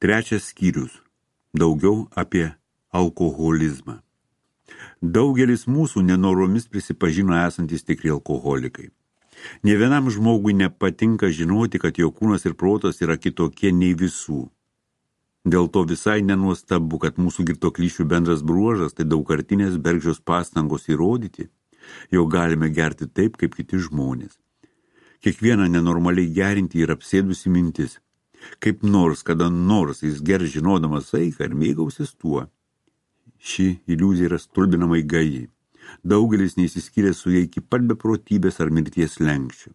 Trečias skyrius. Daugiau apie alkoholizmą. Daugelis mūsų nenoromis prisipažino esantis tikri alkoholikai. Nė vienam žmogui nepatinka žinoti, kad jo kūnas ir protas yra kitokie nei visų. Dėl to visai nenuostabu, kad mūsų girtuoklyšių bendras bruožas tai daugkartinės bergždžios pastangos įrodyti, jog galime gerti taip, kaip kiti žmonės. Kiekvieną nenormaliai gerinti yra apsėdusi mintis. Kaip nors, kada nors jis gers žinodamas saiką ir mėgausis tuo. Ši iliuzija yra stulbinamai gaji. Daugelis neįsiskyrė su jai iki pat beprotybės ar mirties slenksčio.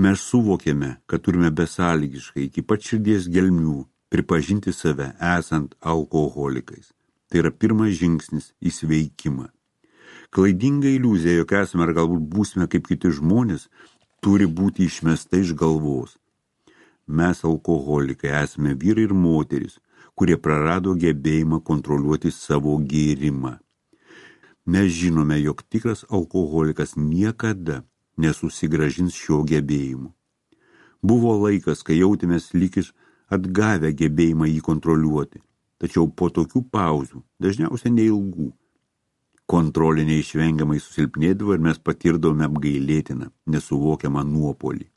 Mes suvokėme, kad turime besąlygiškai iki pat širdies gelmių pripažinti save esant alkoholikais. Tai yra pirmas žingsnis į sveikimą. Klaidinga iliuzija, jog esame ar galbūt būsime kaip kiti žmonės, turi būti išmesta iš galvos. Mes alkoholikai esame vyrai ir moteris, kurie prarado gebėjimą kontroliuoti savo gėrimą. Mes žinome, jog tikras alkoholikas niekada nesusigrąžins šio gebėjimo. Buvo laikas, kai jautėmės lyg iš atgavę gebėjimą jį kontroliuoti, tačiau po tokių pauzių, dažniausiai neilgų, kontrolė neišvengiamai susilpnėdavo ir mes patirdavome apgailėtiną, nesuvokiamą nuopolį.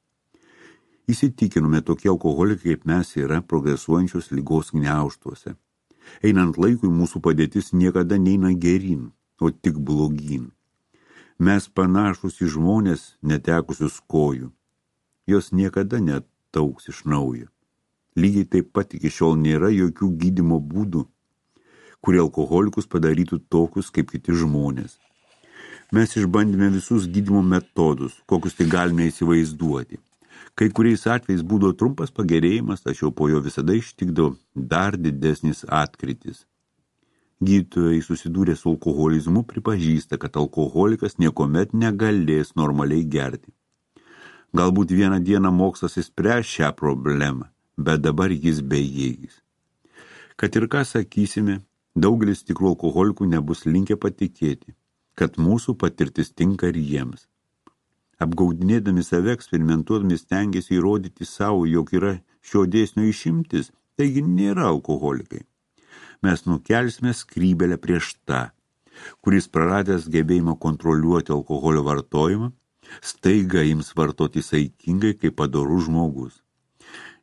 Įsitikinome, tokie alkoholikai kaip mes yra progresuojančios ligos gniaužtuose. Einant laikui mūsų padėtis niekada neina geryn, o tik blogyn. Mes panašus į žmonės netekusius kojų. Jos niekada netauks iš naujo. Lygiai taip pat iki šiol nėra jokių gydymo būdų, kurie alkoholikus padarytų tokius kaip kiti žmonės. Mes išbandėme visus gydymo metodus, kokius tai galime įsivaizduoti. Kai kuriais atvejais būdavo trumpas pagerėjimas, tačiau po jo visada ištikdavo dar didesnis atkritis. Gydytojai susidūrę su alkoholizmu pripažįsta, kad alkoholikas niekuomet negalės normaliai gerti. Galbūt vieną dieną mokslas išspręs šią problemą, bet dabar jis bejėgis. Kad ir ką sakysime, daugelis tikrų alkoholikų nebus linkę patikėti, kad mūsų patirtis tinka ir jiems. Apgaudinėdami save, eksperimentuodami stengiasi įrodyti savo, jog yra šio dėsnio išimtis, taigi nėra alkoholikai. Mes nukelsime skrybelę prieš tą, kuris praradęs gebėjimą kontroliuoti alkoholio vartojimą, staiga ims vartoti saikingai kaip padorus žmogus.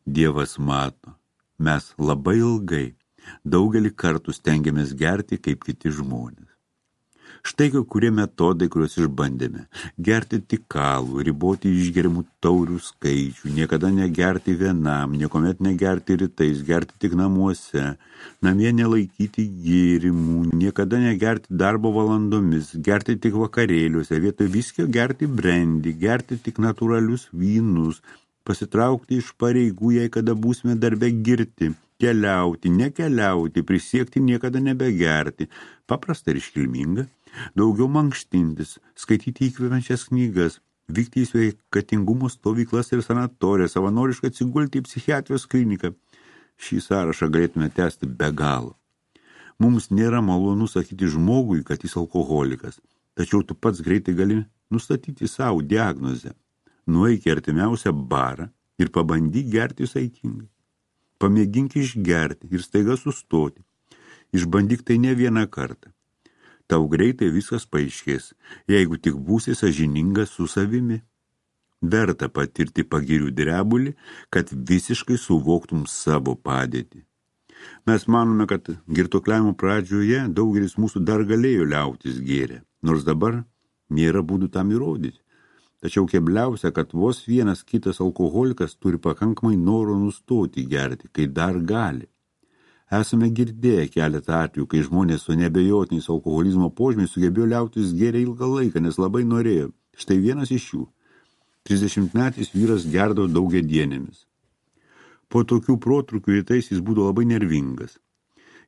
Dievas mato, mes labai ilgai, daugelį kartų stengiamės gerti kaip kiti žmonės. Štai kai kurie metodai, kuriuos išbandėme. Gerti tik alų, riboti išgeriamų taurių skaičių, niekada negerti vienam, niekuomet negerti rytais, gerti tik namuose, namie nelaikyti gėrimų, niekada negerti darbo valandomis, gerti tik vakarėliuose, vietoj viskio gerti brandy, gerti tik natūralius vynus, pasitraukti iš pareigų, jei kada būsime darbe girti, keliauti, nekeliauti, prisiekti niekada nebegerti, paprasta ir iškilminga. Daugiau mankštintis, skaityti įkvepiančias knygas, vykti į sveikatingumo stovyklas ir sanatoriją, savanoriškai atsigulti į psichiatrijos kliniką. Šį sąrašą galėtume tęsti be galo. Mums nėra malonu sakyti žmogui, kad jis alkoholikas, tačiau tu pats greitai gali nustatyti savo diagnozę. Nueik į artimiausią barą ir pabandyk gerti saikingai. Pamėgink išgerti ir staiga sustoti. Išbandyk tai ne vieną kartą. Tau greitai viskas paaiškės, jeigu tik būsi sąžiningas su savimi. Verta patirti pagirių drebulį, kad visiškai suvoktum savo padėtį. Mes manome, kad girtuokliavimo pradžioje daugelis mūsų dar galėjo liautis gėrę, nors dabar nėra būdų tam įrodyti. Tačiau kebliausia, kad vos vienas kitas alkoholikas turi pakankamai noro nustoti gerti, kai dar gali. Esame girdėję keletą atvejų, kai žmonės su nebejotiniais alkoholizmo požymiais sugebėjo liautis gėrę ilgą laiką, nes labai norėjo. Štai vienas iš jų. 30-metis vyras gerdavo daugiadienėmis. Po tokių protrūkių rytais jis būdavo labai nervingas.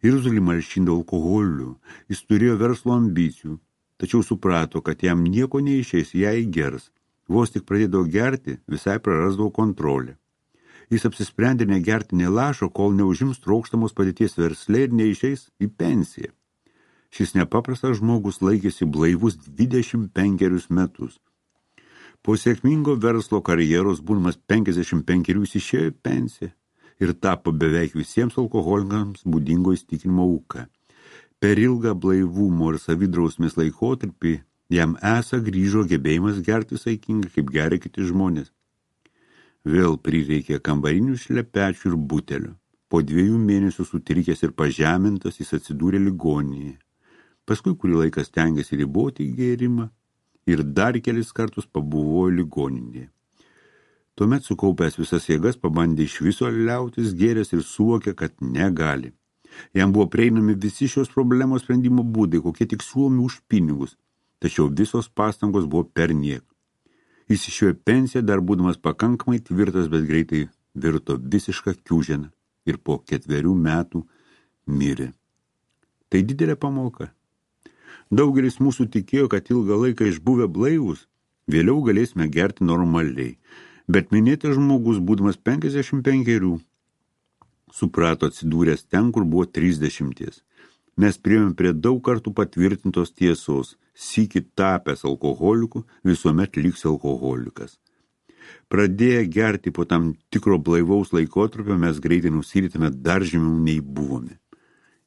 Irzulį malšindavo alkoholiu, jis turėjo verslo ambicijų, tačiau suprato, kad jam nieko neišeis, jei gers. Vos tik pradėdavo gerti, visai prarasdavo kontrolę. Jis apsisprendė negerti nė lašo, kol neužims trokštamos padėties versle ir neišeis į pensiją. Šis nepaprastas žmogus laikėsi blaivus 25 metus. Po sėkmingo verslo karjeros, būdamas 55, jis išėjo į pensiją. ir tapo beveik visiems alkoholikams būdingo įsitikinimo auka. Per ilgą blaivumo ir savidrausmės laikotarpį jam grįžo gebėjimas gerti saikingai, kaip geria kiti žmonės. Vėl prireikė kambarinių šlepečių ir butelio. Po 2 mėnesių sutrikęs ir pažemintas jis atsidūrė ligoninėje. Paskui kurį laiką stengėsi riboti gėrimą ir dar kelis kartus pabuvojo ligoninėje. Tuomet sukaupęs visas jėgas pabandė iš viso liautis gėręs ir suvokė, kad negali. Jam buvo prieinami visi šios problemos sprendimo būdai, kokie tik siūlomi už pinigus, tačiau visos pastangos buvo perniek. Jis išėjo pensiją dar būdamas pakankamai tvirtas, bet greitai virto visišką kiūženą ir po 4 metų mirė. Tai didelė pamoka. Daugelis mūsų tikėjo, kad ilgą laiką išbuvę blaivus, vėliau galėsime gerti normaliai, bet minėtas žmogus, būdamas 55, suprato atsidūręs ten, kur buvo 30. Mes priėjome prie daug kartų patvirtintos tiesos, sykį tapęs alkoholiku, visuomet liks alkoholikas. Pradėję gerti po tam tikro blaivaus laikotarpio, mes greitai nusiritame dar žemiau nei buvome.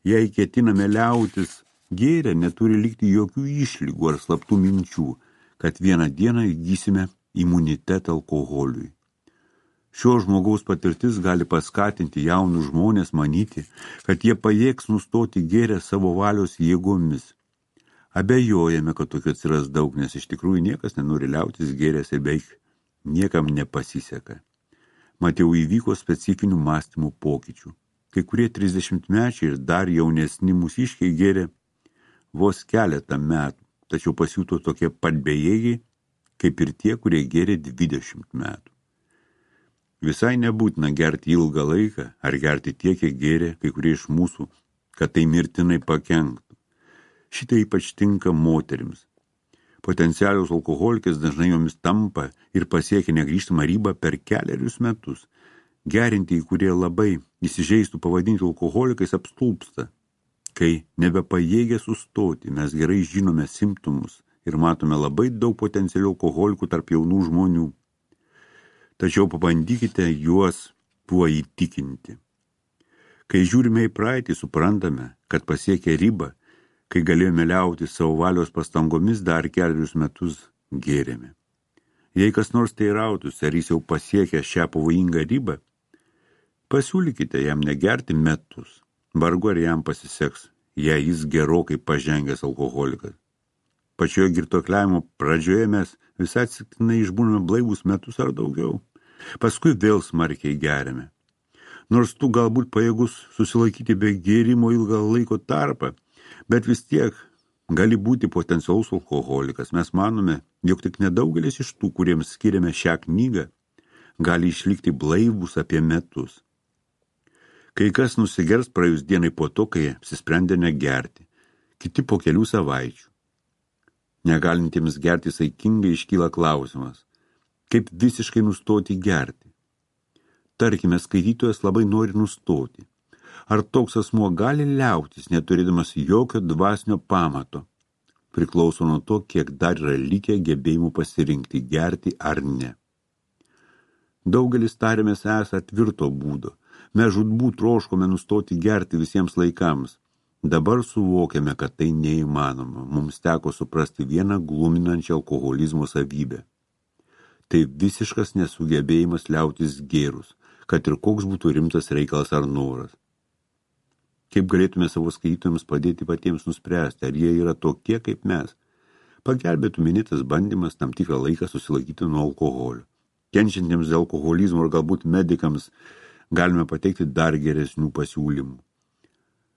Jei ketiname liautis gėrę, neturi likti jokių išlygų ar slaptų minčių, kad vieną dieną įgysime imunitetą alkoholiui. Šio žmogaus patirtis gali paskatinti jaunus žmonės manyti, kad jie pajėgs nustoti gėrę savo valios jėgomis. Abejojame, kad tokių atsiras daug, nes iš tikrųjų niekas nenori liautis gėręs ir beveik niekam nepasiseka. Mat jau įvyko specifinių mąstymų pokyčių. Kai kurie 30-mečiai ir dar jaunesni mūsiškiai gėrė vos keletą metų, tačiau pasijuto tokie pat bejėgiai, kaip ir tie, kurie gėrė 20 metų. Visai nebūtina gerti ilgą laiką ar gerti tiek, kiek gėrė kai kurie iš mūsų, kad tai mirtinai pakenktų. Šitai ypač tinka moterims. Potencialios alkoholikės dažnai jomis tampa ir pasiekia negrįžtamą ribą per 4 metus. Gerinti, kurie labai įsižeistų pavadinti alkoholikais, apstulpsta. Kai nebepajėgia sustoti, mes gerai žinome simptomus ir matome labai daug potencialių alkoholikų tarp jaunų žmonių. Tačiau pabandykite juos tuo įtikinti. Kai žiūrime į praeitį, suprantame, kad pasiekę ribą, kai galėjome liauti savo valios pastangomis, dar 4 metus gėrėme. Jei kas nors teirautųsi, ar jis jau pasiekė šią pavojingą ribą, pasiūlykite jam negerti metus. Vargu ar jam pasiseks, jei jis gerokai pažengęs alkoholikas. Pačioje girtuokliavimo pradžioje mes visai atsitiktinai išbūname blaivus metus ar daugiau. Paskui vėl smarkiai geriame. Nors tu galbūt pajėgus susilaikyti be gėrimo ilgą laiko tarpą, bet vis tiek gali būti potencialus alkoholikas. Mes manome, jog tik nedaugelis iš tų, kuriems skiriame šią knygą, gali išlikti blaivus apie metus. Kai kas nusigers praėjus dienai po to, kai apsisprendė negerti, kiti po kelių savaičių. Negalintiems gerti saikingai iškyla klausimas, kaip visiškai nustoti gerti. Tarkime, skaitytojas labai nori nustoti. Ar toks asmuo gali liautis, neturėdamas jokio dvasinio pamato? Priklauso nuo to, kiek dar yra likę gebėjimų pasirinkti gerti ar ne. Daugelis tarėmės esą tvirto būdo. Mes žūtbūt troškome nustoti gerti visiems laikams. Dabar suvokiame, kad tai neįmanoma. Mums teko suprasti vieną gluminančią alkoholizmo savybę. Tai visiškas nesugebėjimas liautis gėrus, kad ir koks būtų rimtas reikalas ar noras. Kaip galėtume savo skaitytojams padėti patiems nuspręsti, ar jie yra tokie kaip mes? Pagelbėtų minėtas bandymas tam tikrą laiką susilaikyti nuo alkoholio. Kenčiantiems dėl alkoholizmo ir galbūt medikams galime pateikti dar geresnių pasiūlymų.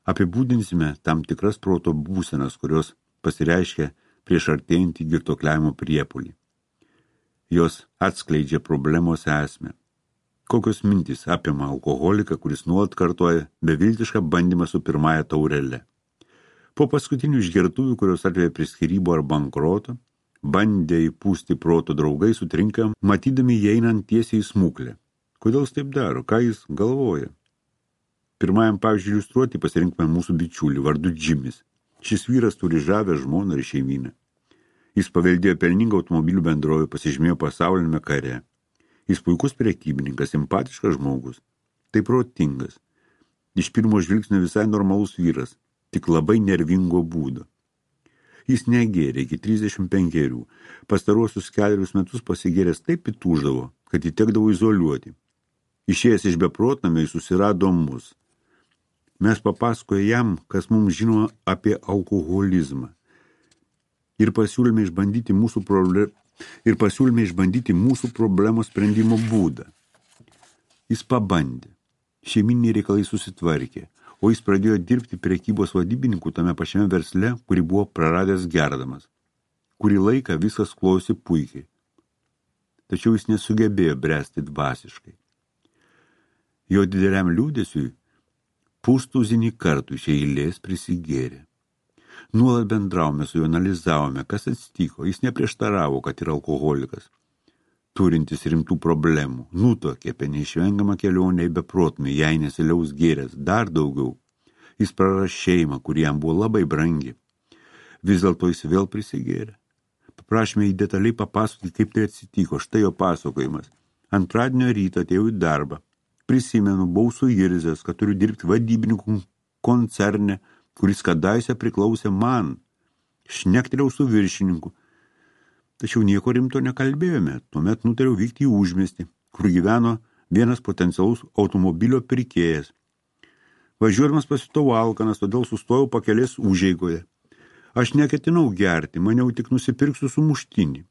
Apibūdinsime tam tikras proto būsenas, kurios pasireiškia prieš artėjantį girtuokliavimo priepulį. Jos atskleidžia problemos esmę. Kokios mintys apima alkoholiką, kuris nuolat kartoja beviltišką bandymą su pirmąja taurele. Po paskutinių išgertuvių, kurios atveja prie skyrybų ar bankroto, bandę įpūsti proto draugai sutrinka, matydami įeinant tiesiai į smuklę. Kodėl jis taip daro? Ką jis galvoja? Pirmajam pavyzdžiui iliustruoti pasirinkime mūsų bičiulį vardu Džimis. Šis vyras turi žavę žmoną ir šeimyną. Jis paveldėjo pelningą automobilių bendrovę, pasižymėjo pasaulinėme kare. Jis puikus prekybininkas, simpatiškas žmogus. Tai protingas. Iš pirmo žvilgsnio visai normalus vyras, tik labai nervingo būdo. Jis negėrė iki 35. Pastaruosius 4 metus pasigėręs taip įtūždavo, kad jį tekdavo izoliuoti. Išėjęs iš beprotnamio jis susirado mus. Mes papasakojo jam, kas mums žino apie alkoholizmą. Ir pasiūlėme išbandyti mūsų problemos sprendimo būdą. Jis pabandė. Šeiminiai reikalai susitvarkė, o jis pradėjo dirbti prekybos vadybininku tame pačiame versle, kurį buvo praradęs gerdamas. Kurį laiką viskas klojosi puikiai. Tačiau jis nesugebėjo bręsti dvasiškai. Jo dideliam liūdesiui pustuzinį kartų iš eilės prisigėrė. Nuolat bendravome su juo, analizavome, kas atsitiko. Jis neprieštaravo, kad yra alkoholikas, turintis rimtų problemų. Nutuokė apie neišvengiamą kelionę į beprotnamį, jei nesiliaus gėręs. Dar daugiau. Jis praras šeimą, kuri jam buvo labai brangi. Vis dėlto jis vėl prisigėrė. Paprašėme jį detaliai papasakoti, kaip tai atsitiko. Štai jo pasakojimas. Antradienio rytą atėjau į darbą. Prisimenu, buvau suirzęs, kad turiu dirbti vadybininkų koncerne, kuris kadaise priklausė man. Šnektelėjau su viršininku. Tačiau nieko rimto nekalbėjome. Tuomet nutariau vykti į užmiestį, kur gyveno vienas potencialus automobilio pirkėjas. Važiuodamas pasijutau alkanas, todėl sustojau pakelės užeigoje. Aš neketinau gerti, maniau tik nusipirksiu sumuštinį.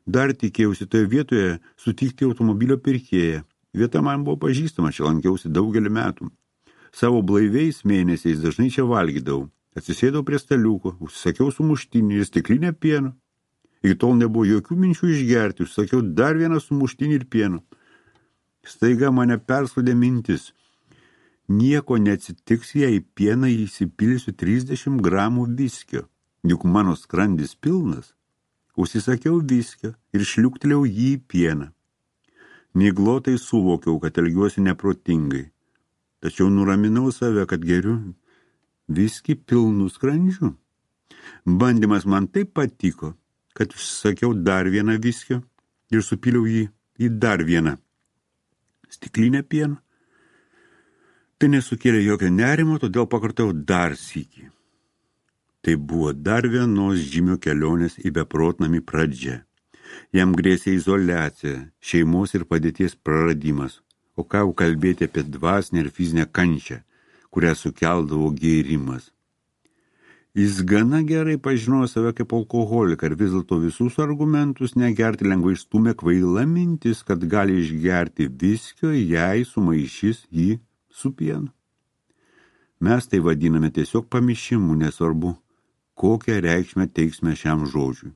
Dar tikėjausi toje vietoje sutikti automobilio pirkėją. Vieta man buvo pažįstama, čia lankiausi daugelį metų. Savo blaiviais mėnesiais dažnai čia valgydavau. Atsisėdau prie staliuko, užsisakiau sumuštinį ir stiklinę pieno. Iki tol nebuvo jokių minčių išgerti, užsakiau dar vieną sumuštinį ir pieno. Staiga mane perspaudė mintis. Nieko neatsitiks, jei į pieną įsipilsiu 30 gramų viskio, juk mano skrandis pilnas. Užsisakiau viskio ir šliuktelėjau jį į pieną. Miglotai suvokiau, kad elgiuosi neprotingai. Tačiau nuraminau save, kad geriu viskį pilnu skrandžiu. Bandymas man taip patiko, kad užsisakiau dar vieną viskio ir supyliau jį į dar vieną stiklinę pieno. Tai nesukėlė jokio nerimo, todėl pakartojau dar sykį. Tai buvo dar vienos žymio kelionės į beprotnamį pradžia. Jam grėsė izoliacija, šeimos ir padėties praradimas, o ką jau kalbėti apie dvasinę ir fizinę kančią, kurią sukeldavo gėrimas. Jis gana gerai pažinojo save kaip alkoholiką ir vis dėlto visus argumentus negerti lengvai išstūmė kvaila mintis, kad gali išgerti viskio, jei sumaišys jį su pienu. Mes tai vadiname tiesiog pamišimu, nesvarbu, kokią reikšmę teiksime šiam žodžiui.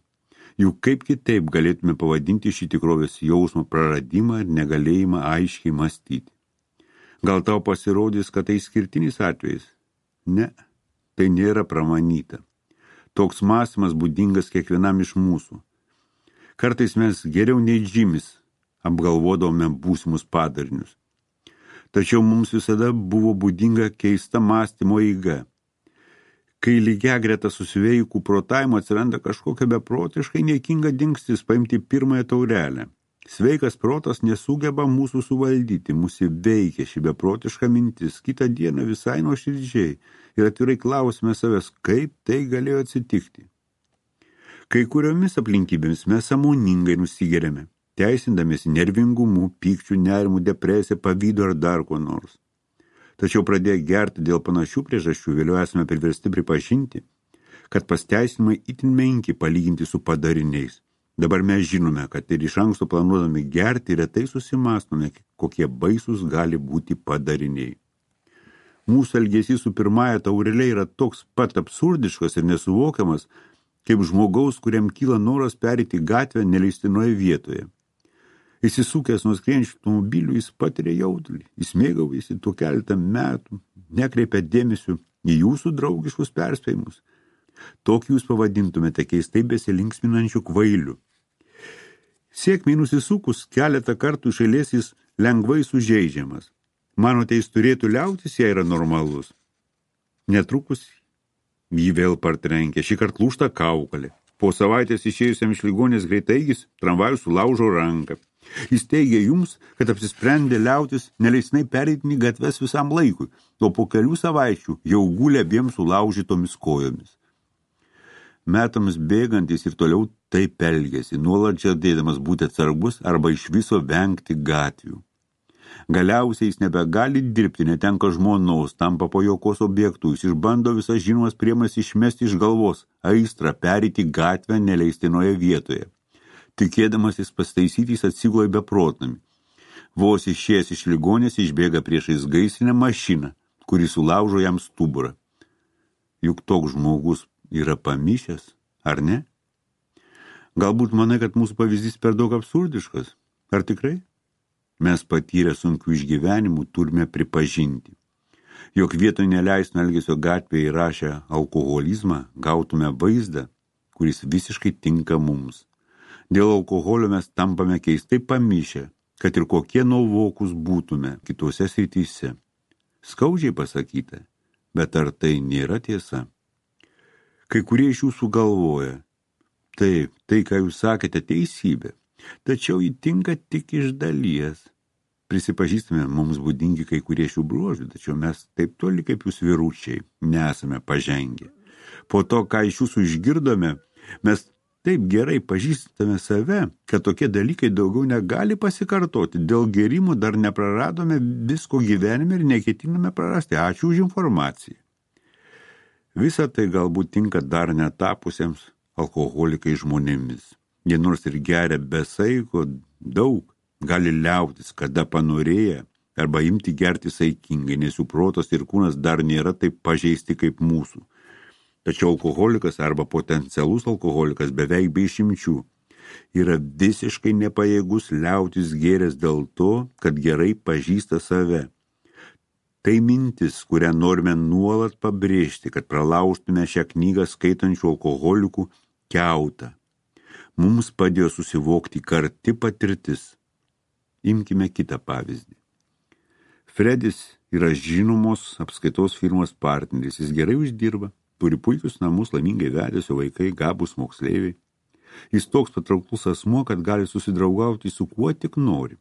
Juk kaip kitaip galėtume pavadinti šį tikrovės jausmo praradimą ir negalėjimą aiškiai mąstyti. Gal tau pasirodys, kad tai skirtinis atvejis? Ne, tai nėra pramanyta. Toks mąstymas būdingas kiekvienam iš mūsų. Kartais mes geriau nei Džimis apgalvodavome būsimus padarinius. Tačiau mums visada buvo būdinga keista mąstymo eiga. Kai lygiagreta susveikų protavimo atsiranda kažkokia beprotiškai niekinga dingstis paimti pirmąją taurelę. Sveikas protas nesugeba mūsų suvaldyti, mūsų veikia ši beprotiška mintis. Kitą dieną visai nuoširdžiai ir atvirai klausime savęs, kaip tai galėjo atsitikti. Kai kuriomis aplinkybėmis mes sąmoningai nusigeriame, teisindamėsi nervingumu, pykčių, nerimu, depresija, pavydu ar dar ko nors. Tačiau pradėję gerti dėl panašių priežasčių, vėliau esame priversti pripažinti, kad pasteisinimai itin menki palyginti su padariniais. Dabar mes žinome, kad ir iš anksto planuodami gerti retai susimąstome, kokie baisus gali būti padariniai. Mūsų elgesys su pirmąja taurelė yra toks pat absurdiškas ir nesuvokiamas, kaip žmogaus, kuriam kyla noras perėti gatvę neleistinoje vietoje. Įsisukęs nuo skrienčių automobilių, jis patiria jaudulį, jis mėgaujasi tuo keletą metų, nekreipia dėmesio į jūsų draugiškus perspėjimus. Tokį jūs pavadintumėte keistai besilinksminančių kvailių. Sėkmei nusisukus keletą kartų iš eilės jis lengvai sužeidžiamas. Manote, jis turėtų liautis, jei yra normalus? Netrukus jį vėl partrenkė, šį kartą lūžta kaukolė. Po savaitės išėjusiam iš ligonės greitaigis tramvajus sulaužo ranką. Jis teigia jums, kad apsisprendė liautis neleistinai pereiti gatves visam laikui, o po kelių savaičių jau gulė abiem sulaužytomis kojomis. Metams bėgantis ir toliau taip elgėsi, nuolat žadėdamas būti atsargus arba iš viso vengti gatvių. Galiausiai jis nebegali dirbti, netenka žmonos, tampa pajokos objektų, jis išbando visas žinomas priemonės išmesti iš galvos, aistrą pereiti gatvę neleistinoje vietoje. Tikėdamas jis pastaisyti, jis atsigula beprotnami. Vos išėjęs iš ligonės išbėga priešais gaisrinę mašiną, kuri sulaužo jam stuburą. Juk toks žmogus yra pamišęs, ar ne? Galbūt manai, kad mūsų pavyzdys per daug absurdiškas. Ar tikrai? Mes patyrę sunkių išgyvenimų turime pripažinti, jog vietoj neleistino elgesio gatvėje įrašę alkoholizmą gautume vaizdą, kuris visiškai tinka mums. Dėl alkoholio mes tampame keistai pamišę, kad ir kokie nuovokus būtume kitose srityse. Skaudžiai pasakyta, bet ar tai nėra tiesa? Kai kurie iš jūsų galvoja, taip, tai, ką jūs sakėte, teisybė, tačiau ji tinka tik iš dalies. Prisipažįstame, mums būdingi kai kurie šių bruožų, tačiau mes taip toli kaip jūs vyručiai nesame pažengę. Po to, ką iš jūsų išgirdome, mes taip gerai pažįstame save, kad tokie dalykai daugiau negali pasikartoti. Dėl gėrimų dar nepraradome visko gyvenime ir neketiname prarasti. Ačiū už informaciją. Visa tai galbūt tinka dar netapusiems alkoholikai žmonėmis. Jie nors ir geria be saiko daug, gali liautis, kada panorėję, arba imti gerti saikingai, nes jų protas ir kūnas dar nėra taip pažeisti kaip mūsų. Tačiau alkoholikas arba potencialus alkoholikas beveik be išimčių yra visiškai nepajėgus liautis gėręs dėl to, kad gerai pažįsta save. Tai mintis, kurią norime nuolat pabrėžti, kad pralaužtume šią knygą skaitančių alkoholikų kiautą. Mums padėjo susivokti karti patirtis. Imkime kitą pavyzdį. Fredis yra žinomos apskaitos firmos partneris, jis gerai uždirba, turi puikius namus, laimingai vedėsi vaikai, gabūs moksleiviai. Jis toks patrauklus asmuo, kad gali susidraugauti su kuo tik nori.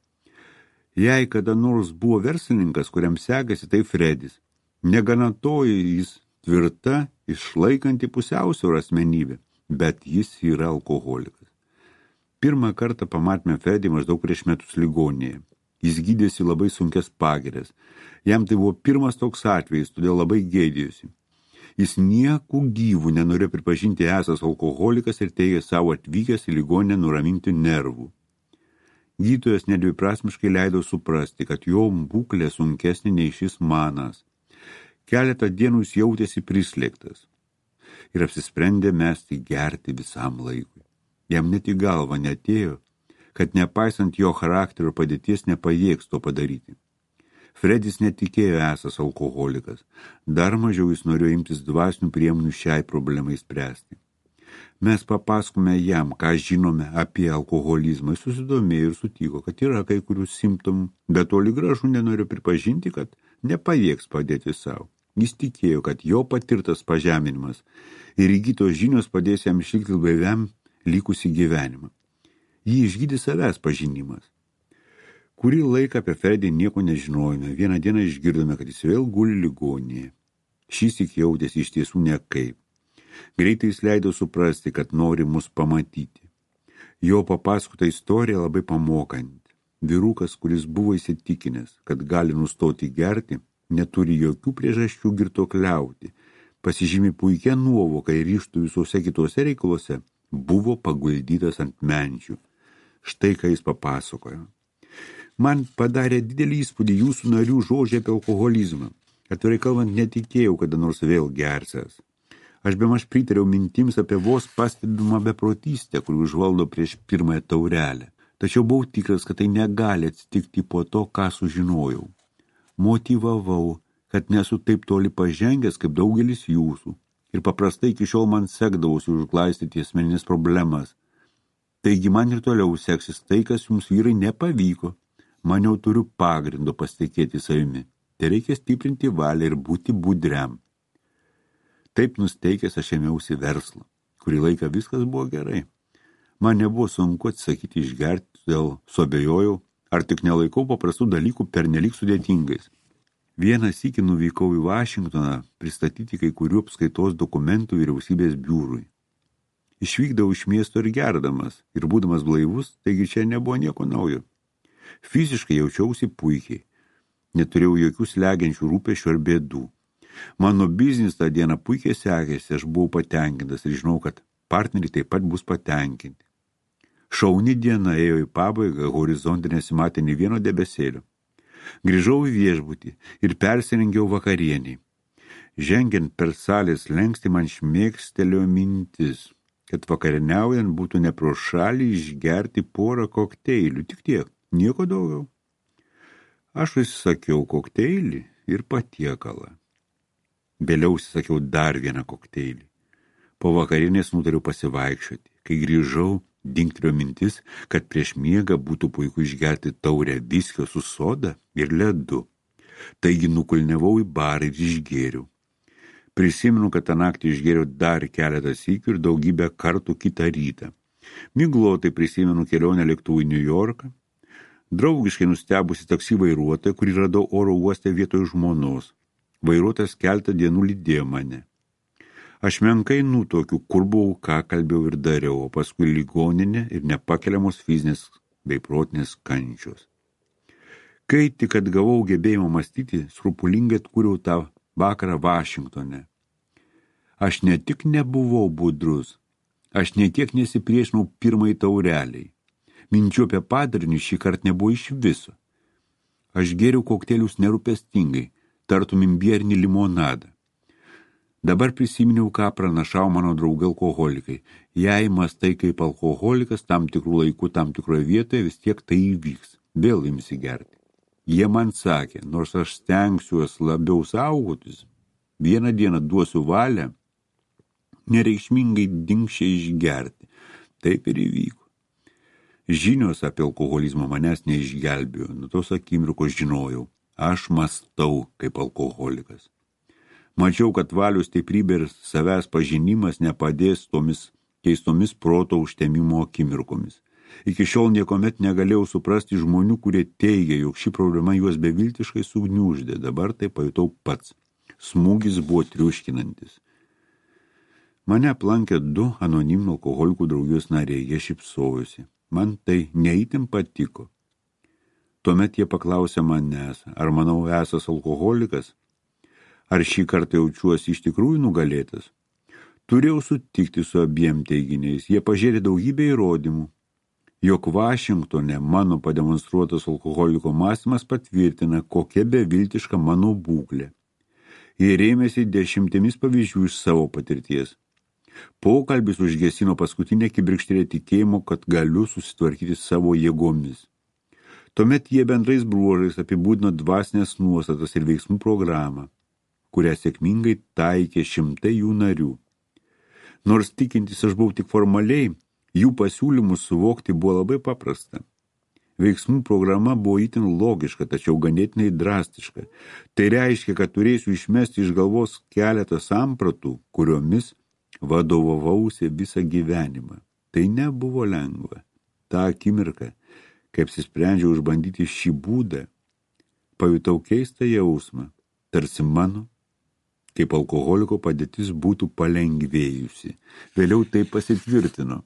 Jei kada nors buvo verslininkas, kuriam sekasi, tai Fredis. Negana to, jis tvirta, išlaikanti pusiausvyrą asmenybę, bet jis yra alkoholikas. Pirmą kartą pamatėme Fredį maždaug prieš metus ligoninėje. Jis gydėsi labai sunkias pagirias. Jam tai buvo pirmas toks atvejis, todėl labai gėdėjosi. Jis nieku gyvų nenorėjo pripažinti esas alkoholikas ir teigė savo atvykęs į ligoninę nuraminti nervų. Gydytojas nedviprasmiškai leido suprasti, kad jo būklė sunkesnė nei šis manas. Keletą dienų jis jautėsi prislėgtas ir apsisprendė mesti gerti visam laikui. Jam net į galvą neatėjo, kad nepaisant jo charakterio padėties nepajėgs to padaryti. Fredis netikėjo esas alkoholikas, dar mažiau jis norėjo imtis dvasinių priemonių šiai problemai spręsti. Mes papasakome jam, ką žinome apie alkoholizmą, jis susidomėjo ir sutiko, kad yra kai kurių simptomų, bet toli gražu nenoriu pripažinti, kad nepajėgs padėti savo. Jis tikėjo, kad jo patirtas pažeminimas ir įgytos žinios padės jam išlikti blaiviam likusį gyvenimą. Jį išgydė savęs pažinimas. Kurį laiką apie Fredį nieko nežinojome. Vieną dieną išgirdome, kad jis vėl guli ligoninėje. Šįsyk jautėsi iš tiesų nekaip. Greitai jis leido suprasti, kad nori mus pamatyti. Jo papasakota istorija labai pamokanti. Vyrukas, kuris buvo įsitikinęs, kad gali nustoti gerti, neturi jokių priežasčių girtuokliauti. Pasižymi puikia nuovoka ir ryžtų visose kitose reikaluose, buvo paguldytas ant menčių. Štai ką jis papasakojo. Man padarė didelį įspūdį jūsų narių žodžiai apie alkoholizmą. Atvirai kalbant, netikėjau, kada nors vėl gersęs. Aš bemaž pritariau mintims apie vos pastebimą beprotystę, kuri užvaldo prieš pirmąją taurelę. Tačiau buvau tikras, kad tai negali atsitikti po to, ką sužinojau. Motyvavau, kad nesu taip toli pažengęs kaip daugelis jūsų. Ir paprastai iki šiol man sekdavosi užglaistyti asmeninės problemas. Taigi man ir toliau seksis tai, kas jums vyrai nepavyko. Man jau turiu pagrindo pasitikėti savimi. Tai reikia stiprinti valią ir būti budriam. Taip nusteikęs aš ėmiausi verslą. Kurį laiką viskas buvo gerai. Man nebuvo sunku atsisakyti išgerti, todėl suabejojau, ar tik nelaikau paprastų dalykų pernelyg sudėtingais. Vieną sykį nuvykau į Vašingtoną pristatyti kai kurių apskaitos dokumentų vyriausybės biurui. Išvykdavau iš miesto ir gerdamas, ir būdamas blaivus, taigi čia nebuvo nieko naujo. Fiziškai jaučiausi puikiai. Neturėjau jokių slegiančių rūpesčių ar bėdų. Mano biznis tą dieną puikiai sekėsi, aš buvau patenkintas ir žinau, kad partneriai taip pat bus patenkinti. Šauni diena ėjo į pabaigą, horizonte nesimatė nei vieno debesėlio. Grįžau į viešbutį ir persirengiau vakarieniai. Žengiant per salės lenkstį man šmėkstelėjo mintis, kad vakarieniaujant būtų ne pro šalį išgerti porą kokteilių, tik tiek, nieko daugiau. Aš užsisakiau kokteilį ir patiekalą. Vėliau užsisakiau dar vieną kokteilį. Po vakarienės nutariau pasivaikščioti. Kai grįžau, dingtelėjo mintis, kad prieš miegą būtų puiku išgerti taurę viskio su soda ir ledu. Taigi nukulniavau į barą ir išgėriau. Prisimenu, kad tą naktį išgėriau dar keletą sykių ir daugybę kartų kitą rytą. Miglotai prisimenu kelionę lėktuvu į New Yorką. Draugiškai nustebusi taksi vairuotoją, kurį radau oro uoste vietoj žmonos. Vairuotojas keletą dienų lydėjo mane. Aš menkai nutuokiu, kur buvau, ką kalbėjau ir dariau, o paskui ligoninė ir nepakeliamos fizinės bei protinės kančios. Kai tik atgavau gebėjimą mąstyti, skrupulingai atkūriau tą vakarą Vašingtone. Aš ne tik nebuvau budrus, aš ne tiek nesipriešinau pirmai taureliai. Minčių apie padarinius šį kartą nebuvo iš viso. Aš gėriau kokteilius nerūpestingai, tartum imbierinį limonadą. Dabar prisiminiau, ką pranašavo mano draugai alkoholikai. Jei mąstai kaip alkoholikas tam tikrų laikų, tam tikroje vietoje, vis tiek tai įvyks. Vėl imsi gerti. Jie man sakė, nors aš stengsiuos labiau saugotis, vieną dieną duosiu valią, nereikšmingai dingščiai išgerti. Taip ir įvyko. Žinios apie alkoholizmą manęs neišgelbėjo. Nuo tos akimirkos žinojau, aš mąstau kaip alkoholikas. Mačiau, kad valios stiprybė ir savęs pažinimas nepadės tomis keistomis proto užtemimo akimirkomis. Iki šiol niekomet negalėjau suprasti žmonių, kurie teigia, jog ši problema juos beviltiškai sugniuždė. Dabar tai pajutau pats. Smūgis buvo triuškinantis. Mane aplankė 2 anoniminių alkoholikų draugijos nariai, jie šypsojosi. Man tai neįtin patiko. Tuomet jie paklausė manęs, ar manau esas alkoholikas, ar šį kartą jaučiuosi iš tikrųjų nugalėtas. Turėjau sutikti su abiem teiginiais, jie pažėrė daugybę įrodymų, jog Vašingtone mano pademonstruotas alkoholiko mąstymas patvirtina, kokia beviltiška mano būklė. Jie rėmėsi 10 pavyzdžių iš savo patirties. Pokalbis užgesino paskutinę kibirkštėlę tikėjimo, kad galiu susitvarkyti savo jėgomis. Tuomet jie bendrais bruožais apibūdino dvasinės nuostatas ir veiksmų programą, kurią sėkmingai taikė šimtai jų narių. Nors tikintis aš buvau tik formaliai, jų pasiūlymus suvokti buvo labai paprasta. Veiksmų programa buvo itin logiška, tačiau ganėtinai drastiška. Tai reiškia, kad turėsiu išmesti iš galvos keletą sampratų, kuriomis vadovavausi visą gyvenimą. Tai nebuvo lengva. Ta akimirka, kai apsisprendžiau išbandyti šį būdą, pajutau keistą jausmą, tarsi mano, kaip alkoholiko padėtis būtų palengvėjusi. Vėliau tai pasitvirtino.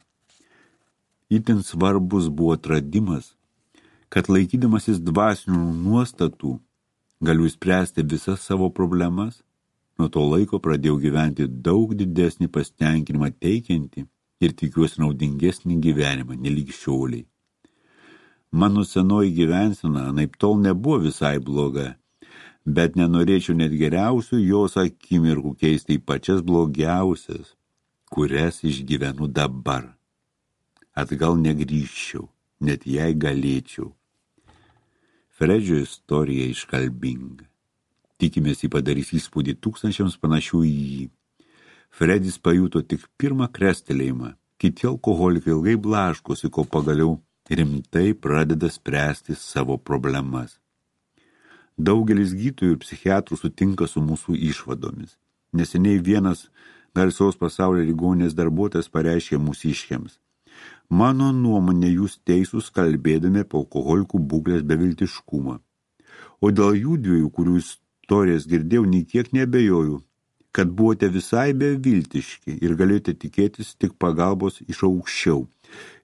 Itin svarbus buvo atradimas, kad laikydamasis dvasinių nuostatų galiu spręsti visas savo problemas. Nuo to laiko pradėjau gyventi daug didesnį pasitenkinimą teikiantį ir tikiuosi naudingesnį gyvenimą, nelyg šioliai. Mano senoji gyvensena anaiptol nebuvo visai bloga, bet nenorėčiau net geriausių jos akimirkų keisti į pačias blogiausias, kurias išgyvenu dabar. Atgal negrįžčiau, net jei galėčiau. Fredžio istorija iškalbinga. Tikimės, jį padarys įspūdį tūkstančiams panašių į jį. Fredis pajuto tik pirmą krestelėjimą. Kiti alkoholikai ilgai blaškosi, kol pagaliau rimtai pradeda spręsti savo problemas. Daugelis gydytojų ir psichiatrų sutinka su mūsų išvadomis. Neseniai vienas garsios pasaulio ligoninės darbuotojas pareiškė mūsiškiams. Mano nuomonė, jūs teisūs kalbėdami apie alkoholikų būklės beviltiškumą. O dėl jų dviejų, kurių istorijas girdėjau, nei kiek nebejoju, kad buvote visai beviltiški ir galėjote tikėtis tik pagalbos iš aukščiau.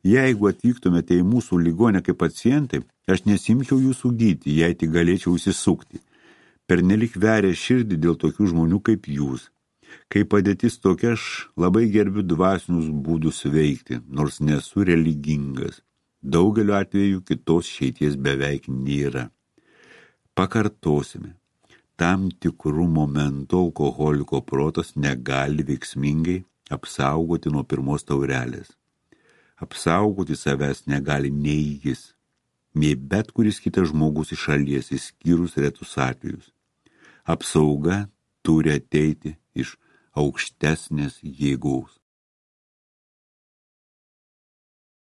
Jeigu atvyktumėte į mūsų ligonę kaip pacientai, aš nesimčiau jūsų gydyti, jei tik galėčiau įsisukti. Pernelik veria širdį dėl tokių žmonių kaip jūs. Kai padėtis tokia, aš labai gerbiu dvasinius būdus veikti, nors nesu religingas. Daugeliu atveju kitos išeities beveik nėra. Pakartosime. Tam tikrų momentų alkoholiko protas negali veiksmingai apsaugoti nuo pirmos taurelės. Apsaugoti savęs negali nei jis, nei bet kuris kitas žmogus iš šalies, išskyrus retus atvejus. Apsauga turi ateiti iš aukštesnės jėgos.